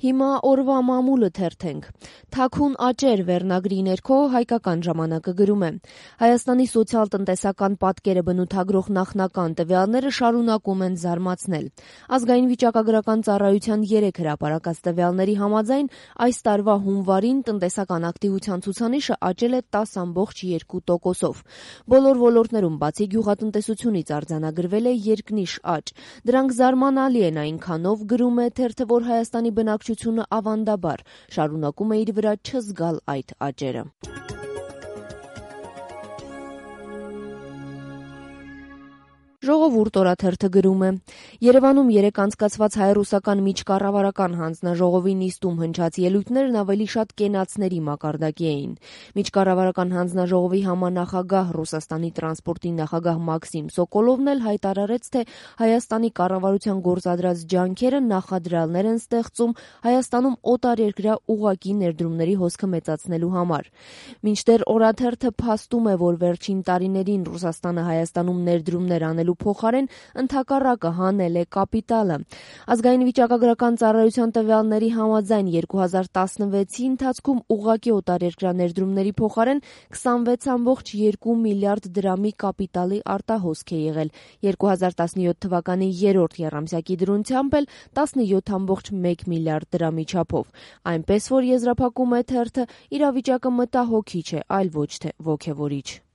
Հիմա օրվա մամուլը թերթենք։ Թաքուն աճեր վերնագրի ներքո Հայկական ժամանակը գրում է. Հայաստանի սոցիալ-տնտեսական պատկերը բնութագրող նախնական տվյալները շարունակում են զարմացնել։ Ազգային վիճակագրական ծառայության 3 հրապարակած տվյալների համաձայն այս տարվա հունվարին տնտեսական ակտիվության ցուցանիշը աճել է 10,2%-ով։ Բոլոր ոլորտներում բացի գյուղատնտեսությունից արձանագրվել է երկնիշ աճ։ Դրանք զարմանալի են այնքանով, գրում է թերթը, որ Հայաստանի բնակչությունը ավանդաբար շարունակում է իր վրա չզգալ այդ աճերը։ Ժողովուրդ օրաթերթը գրում է. Երևանում երեկ անցկացված հայ-ռուսական միջկառավարական հանձնաժողովի նիստում հնչած ելույթներն ավելի շատ կենացների մակարդակի էին։ Միջկառավարական հանձնաժողովի համանախագահ Ռուսաստանի տրանսպորտի նախագահ Մաքսիմ Սոկոլովն էլ հայտարարեց, թե Հայաստանի կառավարության գործադրած ջանքերը նախադրյալներ են ստեղծում Հայաստանում օտարերկրյա ուղղակի ներդրումների հոսքը մեծացնելու համար։ Մինչդեռ օրաթերթը փաստում է, որ վերջին տարիներին Ռուսաստանը Հայաստանում ներդրումներ անելու փոխարեն ընդհակառակը հանել է կապիտալը։ Ազգային վիճակագրական ծառայության տվյալների համաձայն 2016-ի ընթացքում ուղղակի օտարերկրյա ներդրումների փոխարեն 26,2 միլիարդ դրամի կապիտալի արտահոսք է եղել։ 2017 թվականի երրորդ եռամսյակի դրությամբ էլ 17,1 միլիարդ դրամի չափով։ Այնպես որ եզրափակում է թերթը, իրավիճակը մտահոգիչ է, այլ ոչ թե ոգևորիչ։